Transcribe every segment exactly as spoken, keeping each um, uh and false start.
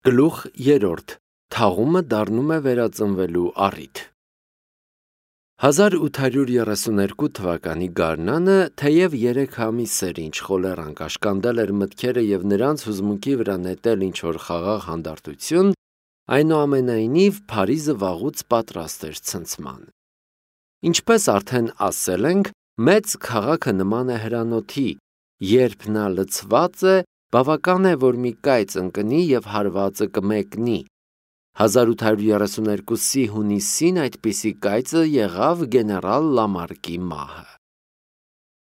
Գլուխ երրորդ. Թաղումը դառնում է վերածնվելու առիթ։ հազար ութ հարյուր երեսուներկու թվականի գարնանը, թեև երեք ամիս էր, ինչ խոլերան կաշկանդել էր մտքերը և նրանց հուզմունքի վրա նետել ինչ-որ խաղաղ հանդարտություն, այնուամենայնիվ Փարիզը վաղուց պատրաստ էր ցնցման։ Ինչպես արդեն ասել ենք, մեծ քաղաքը նման է հրանոթի, երբ նա լցված է, բավական է, որ մի կայծ ընկնի և հարվածը կմեկնի։ հազար ութ հարյուր երեսուներկուսի հունիսին այդպիսի կայծը եղավ գեներալ Լամարկի մահը։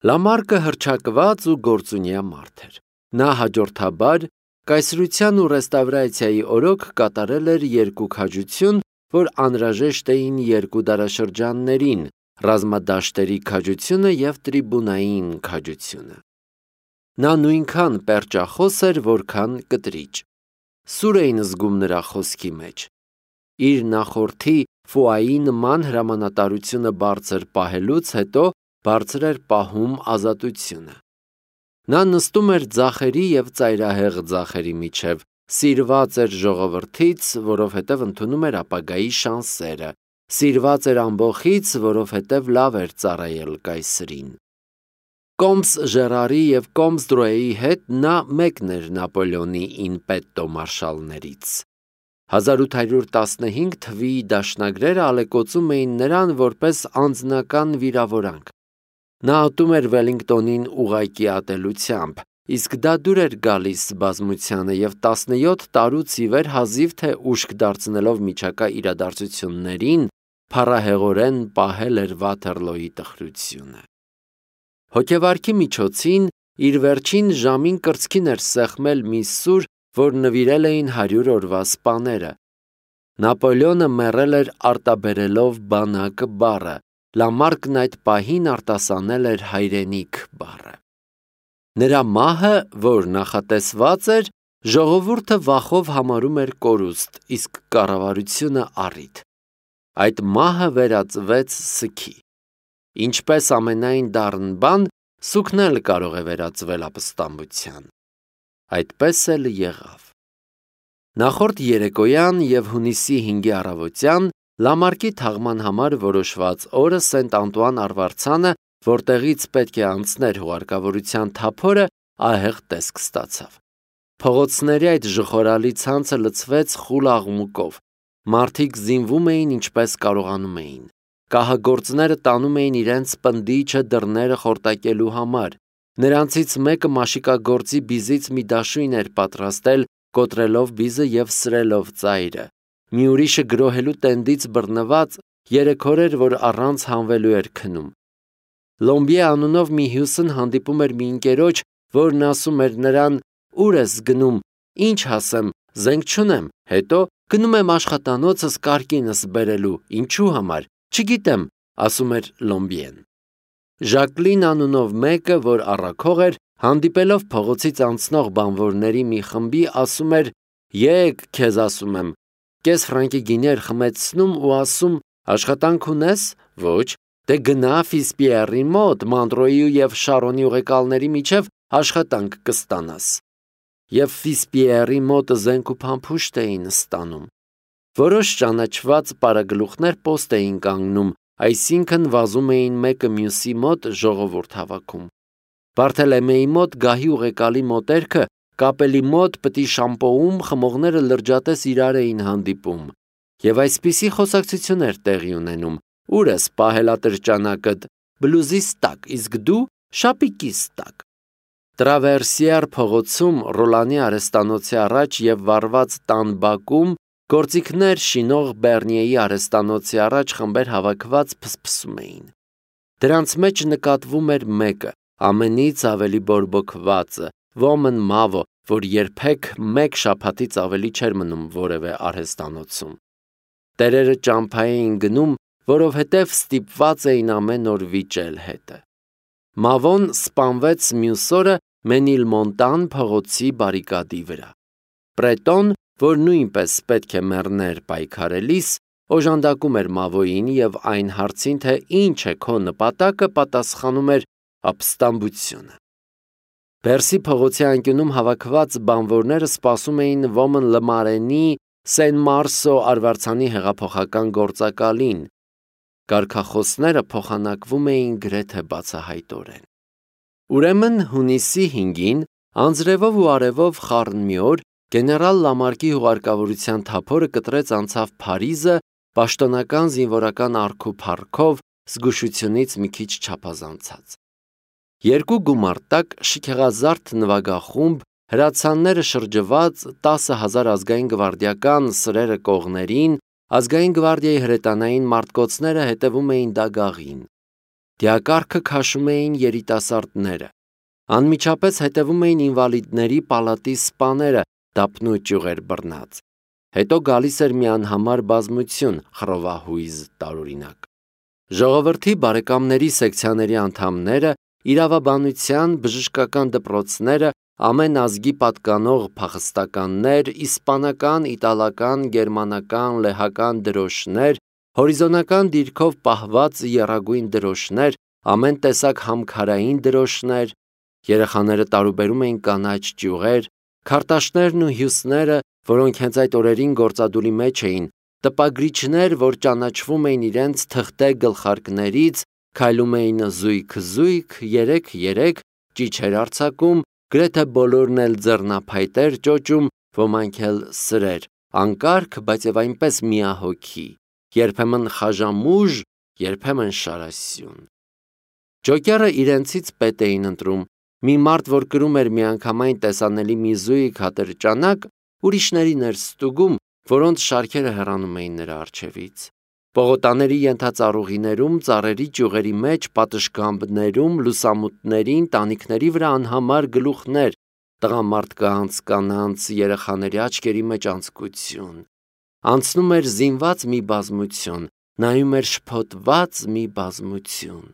Լամարկը հռչակված ու գործունյա մարդ էր։ Նա հաջորդաբար կայսրության ու ռեստավրացիայի օրոք կատարել էր երկու քաջություն, որ անհրաժեշտ էին երկու դարաշրջաններին՝ ռազմադաշտերի քաջությունը և տրիբունային քաջությունը։ Նա նույնքան պերճախոս էր, որքան կտրիճ։ Սուր էին զգում նրա խոսքի մեջ։ Իր նախորդի Ֆուայի նման հրամանատարությունը բարձր պահելուց հետո բարձր էր պահում ազատությունը։ Նա նստում էր ձախերի և ծայրահեղ ձախերի միջև, սիրված էր ժողովրդից, որովհետև ընդունում էր ապագայի շանսերը, սիրված էր ամբոխից, որովհետև լավ էր ծառայել կայսրին։ Կոմս Ժերարի և Կոմս Դրոեի հետ նա մեկն էր Նապոլեոնի ինպետտո մարշալներից։ հազար ութ հարյուր տասնհինգ թվականի դաշնագրերը ալեկոծում էին նրան որպես անձնական վիրավորանք։ Նա ատում էր Վելլինգտոնին ուղղակի ատելությամբ, իսկ դա դուր էր գալիս բազմությանը և տասնյոթ տարուց ի վեր հազիվ թե ուշք դարձնելով միջակա իրադարձություններին, փառահեղորեն պահել էր Վաթերլոյի տխրությունը։ Հոգեվարքի միջոցին իր վերջին ժամին կրծքին էր սեղմել մի սուր, որ նվիրել էին հարյուր օրվա սպաները։ Նապոլեոնը մեռել էր արտաբերելով բանակ բառը, Լամարկն այդ պահին արտասանել էր հայրենիք բառը։ Նրա մահը, որ նախատեսված էր, ժողովուրդը վախով համարում էր կորուստ, իսկ կառավարությունը առիթ։ Այդ մահը վերածվեց սգի։ Ինչպես ամենայն դառն բան, սուգն էլ կարող է վերածվել ապստամբության։ Այդպես էլ եղավ։ Նախորդ երեկոյան և հունիսի հինգի առավոտյան Լամարկի թաղման համար որոշված օրը Սենտ Անտուան արվարձանը, որտեղից պետք է անցներ հուղարկավորության թափորը, ահեղ տեսք ստացավ։ Փողոցների այդ ժխորալի ցանցը լցվեց խուլ աղմուկով։ Մարդիկ զինվում էին ինչպես կարողանում էին։ Կահագործները տանում էին իրենց պնդիչը դռները խորտակելու համար։ Նրանցից մեկը մաշիկագործի բիզից մի դաշույն էր պատրաստել, կոտրելով բիզը և սրելով ծայրը։ Մի ուրիշը գրոհելու տենդից բռնված երեք օր էր, որ առանց հանվելու էր քնում։ Լոմբիե անունով մի հյուսն հանդիպում էր մի ընկերոջ, որն ասում էր նրան. «Ուր ես գնում, ինչ ասեմ, զենք չունեմ, հետո գնում եմ աշխատանոցս կարկինս բերելու, ինչու համար, չգիտեմ», ասում էր Լոմբիեն։ Ժակլին անունով մեկը, որ առաքող էր, հանդիպելով փողոցից անցնող բանվորների մի խմբի, ասում էր. «Եկ, քեզ ասում եմ», կես ֆրանկի գինի էր խմեցնում ու ասում. «Աշխատանք ունես»։ «Ոչ»։ «Դե գնա Ֆիսպիերի մոտ, Մանտրոյի և Շարոնի ուղեկալների միջև աշխատանք կստանաս»։ Եվ Ֆիսպիերի մոտ զենք ու փամփուշտ էին ստանում։ Որոշ ճանաչված պարագլուխներ պոստ էին կանգնում, այսինքն վազում էին մեկը մյուսի մոտ ժողովուրդ հավաքում։ Բարթելեմեի մոտ գահի ուղեկալի մոտերքը կապելի մոտ պտի շամպոում խմողները լրջատես իրար էին հանդիպում։ Եվ այսպիսի խոսակցություն էր տեղի ունենում. «Ուր ես պահելատրճանակդ, բլուզիս տակ, իսկ դու շապիկիս տակ»։ Տրավերսիար փողոցում Ռոլանի արհեստանոցի առաջ և վառված տան բակում գործիքներ շինող Բեռնիեի արհեստանոցի առաջ խմբեր հավաքված փսփսում էին։ Դրանց մեջ նկատվում էր մեկը, ամենից ավելի բորբոքվածը, ոմն Մավո, որ երբեք մեկ շաբաթից ավելի չէր մնում որևէ արհեստանոցում։ Տերերը ճամփա էին գնում, որովհետև ստիպված էին ամեն օր վիճել հետը։ Մավոն սպանվեց մյուս օրը Մենիլմոնտան փողոցի բարիկադի վրա։ Պրետոն, որ նույնպես պետք է մեռներ պայքարելիս, օժանդակում էր Մավոյին և այն հարցին, թե ինչ է քո նպատակը, պատասխանում էր. ապստամբությունը։ Պերսի փողոցի անկյունում հավաքված բանվորները սպասում էին Ոմն Լմարենի Սեն Մարսո արվարձանի հեղափոխական գործակալին։ Կարգախոսները փոխանակվում էին գրեթե բացահայտորեն։ Ուրեմն հունիսի հինգին անձրևով ու արևով խառն մի օր գեներալ Լամարկի հուղարկավորության թափորը կտրեց անցավ Փարիզը պաշտոնական զինվորական արքուփարքով զգուշությունից մի քիչ չափազանցած։ Երկու գումարտակ շքեղազարդ նվագախումբ հրացանները շրջված տասը հազար ազգային գվարդիական սրերը կողներին, ազգային գվարդիայի հրետանային մարտկոցները հետևում էին դագաղին։ Դիակառքը քաշում էին երիտասարդները։ Անմիջապես հետևում էին ինվալիդների պալատի սպաները, դափնու ճյուղեր բռնած։ Հետո գալիս էր մի անհամար բազմություն, խռովահույզ տարօրինակ։ Ժողովրդի բարեկամների սեկցիաների անդամները, իրավաբանության, բժշկական դպրոցները, ամեն ազգի պատկանող փախստականներ, իսպանական, իտալական, գերմանական, լեհական դրոշներ, հորիզոնական դիրքով պահված եռագույն դրոշներ, ամեն տեսակ համքարային դրոշներ, երեխաները տարուբերում էին կանաչ ճյուղեր, քարտաշներն ու հյուսները, որոնք հենց այդ օրերին գործադուլի մեջ էին, տպագրիչներ, որ ճանաչվում էին իրենց թղթե գլխարկներից, քայլում էին զույգ-զույգ, երեք-երեք, ճիչեր արձակում, գրեթե բոլորն էլ ձեռնափայտեր ճոճում, ոմանք էլ սրեր, անկարգ, բայց եւ այնպես միահոգի, երբեմն խաժամուժ, երբեմն շարասյուն։ Ջոկերը իրենցից պետ էին ընտրում, մի մարդ, որ կրում էր միանգամայն տեսանելի մի զույգ հատրճանակ, ուրիշներին էր ստուգում, որոնց շարքերը հեռանում էին նրա առջևից։ Պողոտաների ենթածառուղիներում, ծառերի ճյուղերի մեջ, պատշգամբներում, լուսամուտներին, տանիքների վրա անհամար գլուխներ, տղամարդկանց, կանանց, երեխաների աչքերի մեջ անձկություն։ Անցնում էր զինված մի բազմություն, նայում էր շփոթված մի բազմություն։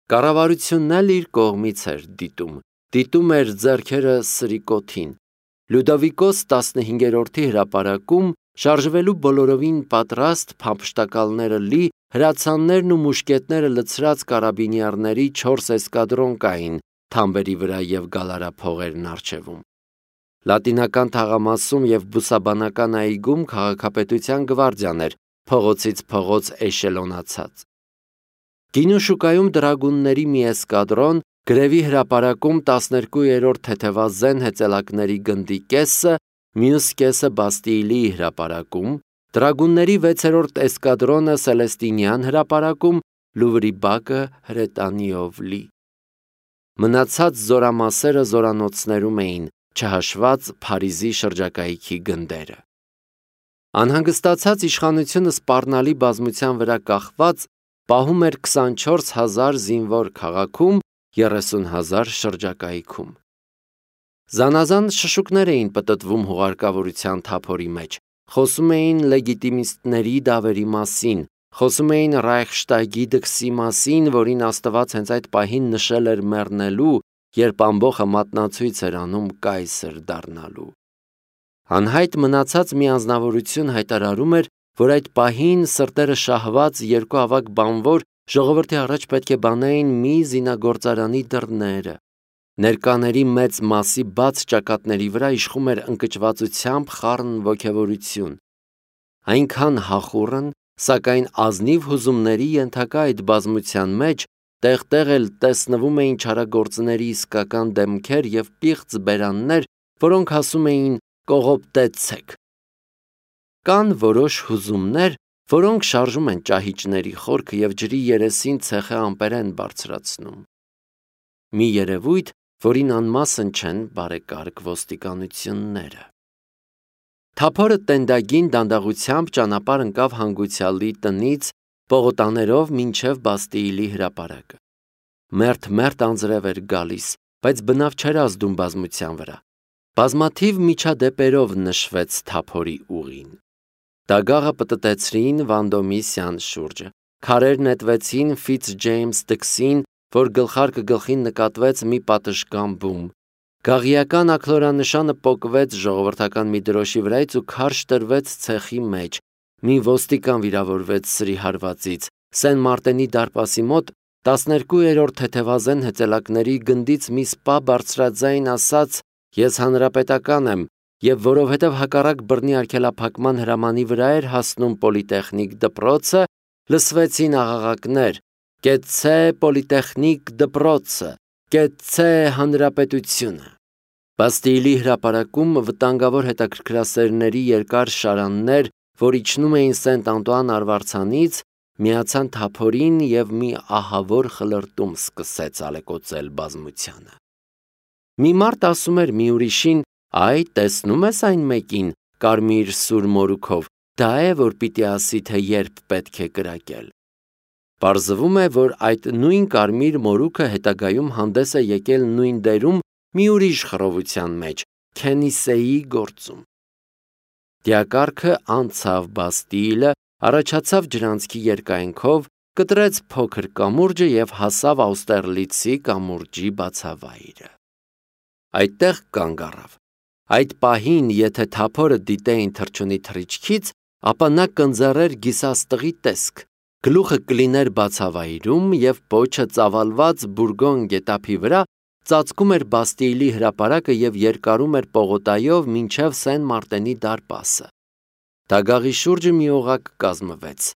Կառավարությունն էլ իր կողմից էր դիտում, դիտում էր ձեռքերը սրիկոթին։ Լյուդովիկոս տասնհինգերորդի հրապարակում շարժվելու բոլորովին պատրաստ փամփշտակալները լի հրացաններն ու մուշկետները լցրած կարաբինիերների չորս էսկադրոն կային թամբերի վրա եւ գալարափողերն առջևում։ Լատինական թաղամասում եւ բուսաբանական այգում քաղաքապետության գվարդիան էր փողոցից փողոց էշելոնացած։ Գինու շուկայում դրագունների մի էսկադրոն, գրևի հրապարակում տասներկուերորդ թեթևազեն հեծելակների գնդի կեսը, մյուս կեսը Բաստիլիի հրապարակում, դրագունների վեցերորդ էսկադրոնը Սելեստինյան հրապարակում, Լուվրի բակը հրետանիով լի։ Մնացած զորամասերը զորանոցներում էին, չհաշված Փարիզի շրջակայքի գնդերը։ Անհանգստացած իշխանությունը սպառնալի բազմության վրա կախված պահում էր քսանչորս հազար զինվոր քաղաքում, երեսուն հազար շրջակայքում։ Զանազան շշուկներ էին պտտվում հուղարկավորության թափորի մեջ, խոսում էին լեգիտիմիստների դավերի մասին, խոսում էին Ռայխշտագի դքսի մասին, որին Աստված հենց այդ պահին նշել էր մեռնելու, երբ ամբոխը մատնացույց էր անում կայսր դառնալու։ Անհայտ մնացած մի անձնավորություն հայտարարում էր, որ այդ պահին սրտերը շահված երկու ավագ բանվոր ժողովրդի առաջ պետք է բանային մի զինագործարանի դռները։ Ներկաների մեծ մասի բաց ճակատների վրա իշխում էր ընկճվածությամբ խառն ոգևորություն։ Այնքան հախուռն, սակայն ազնիվ հուզումների ենթակա այդ բազմության մեջ տեղ-տեղ էլ տեսնվում էին չարագործների իսկական դեմքեր եւ պիղծ բերաններ, որոնք ասում էին «կողոպտեցեք»։ Կան որոշ հուզումներ, որոնք շարժում են ճահիճների խորքը եւ ջրի երեսին ցեխը ամպերեն բարձրացնում։ Մի երևույթ, որին անմասն չեն բարեկարգ ոստիկանությունները։ Թափորը տենդագին դանդաղությամբ ճանապարհ ընկավ հանգուցյալի տնից պողոտաներով մինչև Բաստիլի հրապարակը։ Մերթ-մերթ անձրև էր գալիս, բայց բնավ չէր ազդում բազմության վրա։ Բազմաթիվ միջադեպերով նշվեց թափորի ուղին։ Դագաղը պտտեցրին Վանդոմիսյան շուրջը, քարեր նետվեցին Ֆիցջեյմս դքսին, որ գլխարկը գլխին նկատվեց մի պատշգամբում։ Գաղիական աքլորանշանը պոկվեց ժողովրդական մի դրոշի վրայից ու քարշ տրվեց ցեխի մեջ։ Մի ոստիկան վիրավորվեց սրի հարվածից։ Սեն Մարտենի դարպասի մոտ տասներկուերորդ թեթևազեն հեծելակների գնդից մի սպա բարձրաձայն ասաց. «Ես հանրապետական եմ», եւ որովհետեւ հակառակ բռնի արգելափակման հրամանի վրա էր հասնում պոլիտեխնիկ դպրոցը, լսվեցին աղաղակներ. «Կեցցե պոլիտեխնիկ դպրոցը, կեցցե հանրապետությունը»։ Բաստիլի հրապարակում վտանգավոր հետաքրքրասերների երկար շարաններ, որ իջնում էին Սենտ Անտուան արվարձանից, միացան թափորին եւ մի ահավոր խլրտում սկսեց ալեկոծել բազմությանը։ Մի մարդ ասում էր մի ուրիշին. «Այ, տեսնում ես այն մեկին, կարմիր սուր մորուքով, դա է, որ պիտի ասի, թե երբ պետք է կրակել»։ Պարզվում է, որ այդ նույն կարմիր մորուքը հետագայում հանդես է եկել նույն դերում մի ուրիշ խռովության մեջ՝ Քենիսեի գործում։ Դիակառքը անցավ Բաստիլը, առաջացավ ջրանցքի երկայնքով, կտրեց փոքր կամուրջը եւ հասավ Աուստերլիցի կամուրջի բացավայրը։ Այդտեղ կանգ առավ։ Այդ պահին, եթե թափորը դիտեին թռչունի թռիչքից, ապա նա կընձեռեր գիսաստղի տեսք, գլուխը կլիներ բացավայրում եւ պոչը ծավալված բուրգոն գետափի վրա ծածկում էր Բաստիլի հրապարակը եւ երկարում էր պողոտայով մինչև Սեն Մարտենի դարպասը։ Դագաղի շուրջը մի օղակ կազմվեց։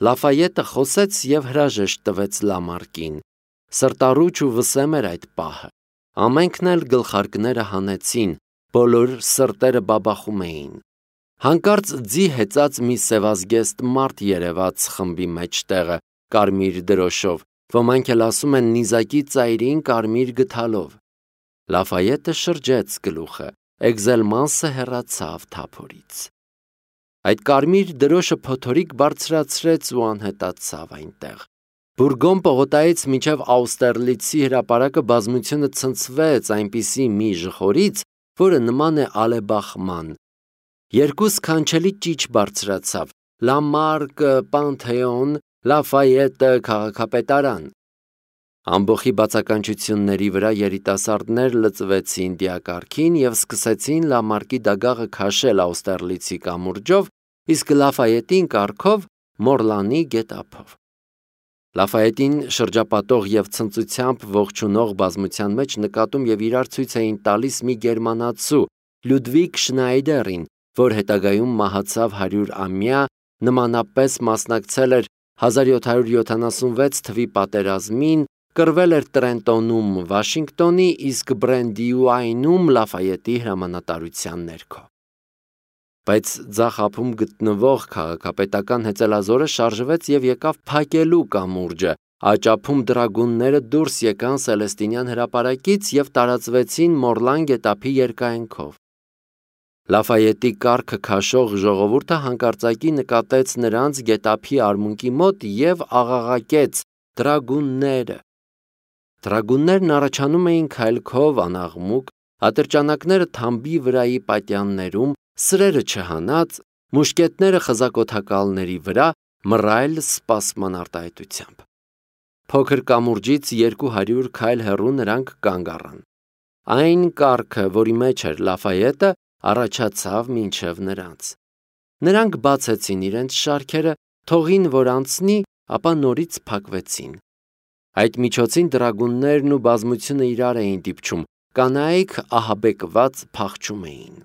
Լաֆայետը խոսեց եւ հրաժեշտ տվեց Լամարկին։ Սրտառուչ ու վսեմ էր այդ պահը։ Ամենքն էլ գլխարկները հանեցին, բոլոր սրտերը բաբախում էին։ Հանկարծ ձի հեծած մի սևազգեստ մարդ երևաց խմբի մեջտեղը, կարմիր դրոշով, ոմանք էլ ասում են նիզակի ծայրին կարմիր գդալով։ Լաֆայետը շրջեց գլուխը, Էգզելմանսը հեռացավ թափորից։ Այդ կարմիր դրոշը փոթորիկ բարձրացրեց ու անհետացավ այնտեղ։ Բուրգոն պողոտայից մինչև Աուստերլիցի հրապարակը բազմությունը ցնցվեց այնպիսի մի ժխորից, որը նման է ալեբախման։ Երկու սքանչելի ճիչ բարձրացավ՝ Լամարկը Պանթեոն, Լաֆայետը քաղաքապետարան։ Ամբոխի բացականչությունների վրա երիտասարդներ լծվեցին դիակառքին եւ սկսեցին Լամարկի դագաղը քաշել Աուստերլիցի կամուրջով, իսկ Լաֆայետին կառքով Մորլանի գետափով։ Լաֆայետին շրջապատող եւ ցնծությամբ ողջունող բազմության մեջ նկատում եւ իրար ցույց էին տալիս մի գերմանացու Լյուդվիգ Շնայդերին, որ հետագայում մահացավ հարյուրամյա, նմանապես մասնակցել էր հազար յոթ հարյուր յոթանասունվեց թվի պատերազմին, կռվել էր Տրենտոնում Վաշինգտոնի, իսկ Բրենդիուայնում Լաֆայետի հրամանատարության ներքո։ Բայց ձախ ափում գտնվող քաղաքապետական հեծելազորը շարժվեց եւ եկավ փակելու կամուրջը, աճափում դրագունները դուրս եկան Սելեստինյան հրապարակից եւ տարածվեցին Մորլան գետափի երկայնքով։ Լաֆայետի կառքը քաշող ժողովուրդը հանկարծակի նկատեց նրանց գետափի արմունկի մոտ եւ աղաղակեց. «Դրագունները»։ Դրագուններն առաջանում էին քայլքով անաղմուկ, ատրճանակները թամբի վրայի պատյաններում, սրերը չհանած, մուշկետները խզակոթակալների վրա, մռայլ սպասման արտահայտությամբ։ Փոքր կամուրջից երկու հարյուր քայլ հեռու նրանք կանգ առան։ Այն կառքը, որի մեջ էր Լաֆայետը, առաջացավ մինչև նրանց։ Նրանք բացեցին իրենց շարքերը, թողին, որ անցնի, ապա նորից փակվեցին։ Այդ միջոցին դրագուններն ու բազմությունը իրար էին դիպչում, կանայք ահաբեկված փախչում էին։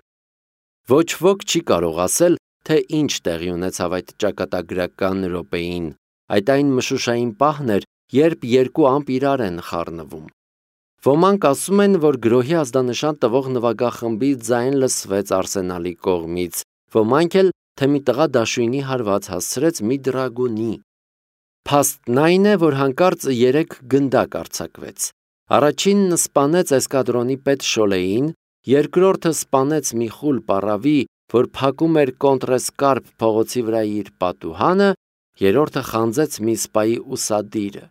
Ոչ ոք չի կարող ասել, թե ինչ տեղի ունեցավ այդ ճակատագրական րոպեին։ Այդ այն մշուշային պահն էր, երբ երկու ամպ իրար են խառնվում։ Ոմանք ասում են, որ գրոհի ազդանշան տվող նվագախմբի ձայն լսվեց Արսենալի կողմից, ոմանք էլ, թե մի տղա դաշույնի հարված հասցրեց մի դրագունի։ Փաստն այն է, որ հանկարծ երեք գնդակ արձակվեց։ Առաջինն սպանեց էսկադրոնի պետ Շոլեին, երկրորդը սպանեց մի խուլ պառավի, որ փակում էր Կոնտրեսկարպ փողոցի վրա իր պատուհանը, երրորդը խանձեց մի սպայի ուսադիրը։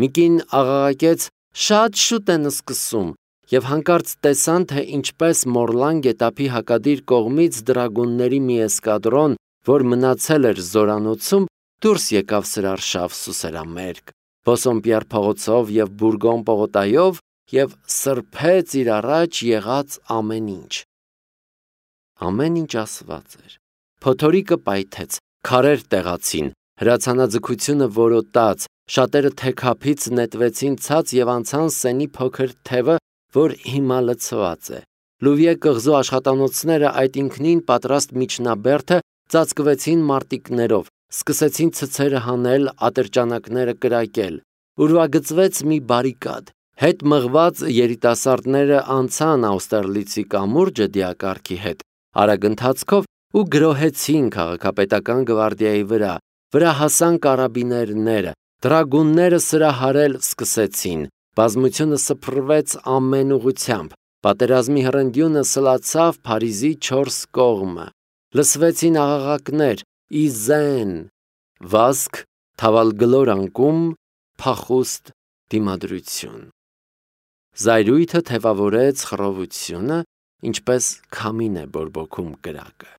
Միկին աղաղակեց. «Շատ շուտ են սկսում», եւ հանկարծ տեսան, թե ինչպես Մորլան գետափի հակադիր կողմից դրագունների մի էսկադրոն, որ մնացել էր զորանոցում, դուրս եկավ սրարշավ սուսերամերկ, Բոսոմպիար փողոցով եւ Բուրգոն պողոտայով եւ սրբեց իր առաջ եղած ամեն ինչ։ Ամեն ինչ ասված էր։ Փոթորիկը պայթեց, քարեր տեղացին, հրացանաձգությունը որոտաց, Շատերը թեքափից նետվեցին ցած եւ անցան Սենի փոքր թևը, որ հիմա լցված է։ Լուվիե կղզու աշխատանոցները այդ ինքնին պատրաստ միջնաբերդը ծածկվեցին մարտիկներով, սկսեցին ցցերը հանել, ատրճանակները կրակել։ Ուրվագծվեց մի բարիկադ։ Հետ մղված երիտասարդները անցան Աուստերլիցի կամուրջը դիակառքի հետ, արագ ընթացքով ու գրոհեցին քաղաքապետական գվարդիայի վրա, վրա հասան կարաբիներները, դրագունները սրահարել սկսեցին, բազմությունը սփռվեց ամեն ուղությամբ, պատերազմի հռնդյունը սլացավ Փարիզի չորս կողմը, լսվեցին աղաղակներ, իզեն, վազք, թավալգլոր անկում, փախուստ դիմադրություն։ Զայրույթը թևավորեց խռովությունը, ինչպես քամին է բորբոքում կրակը։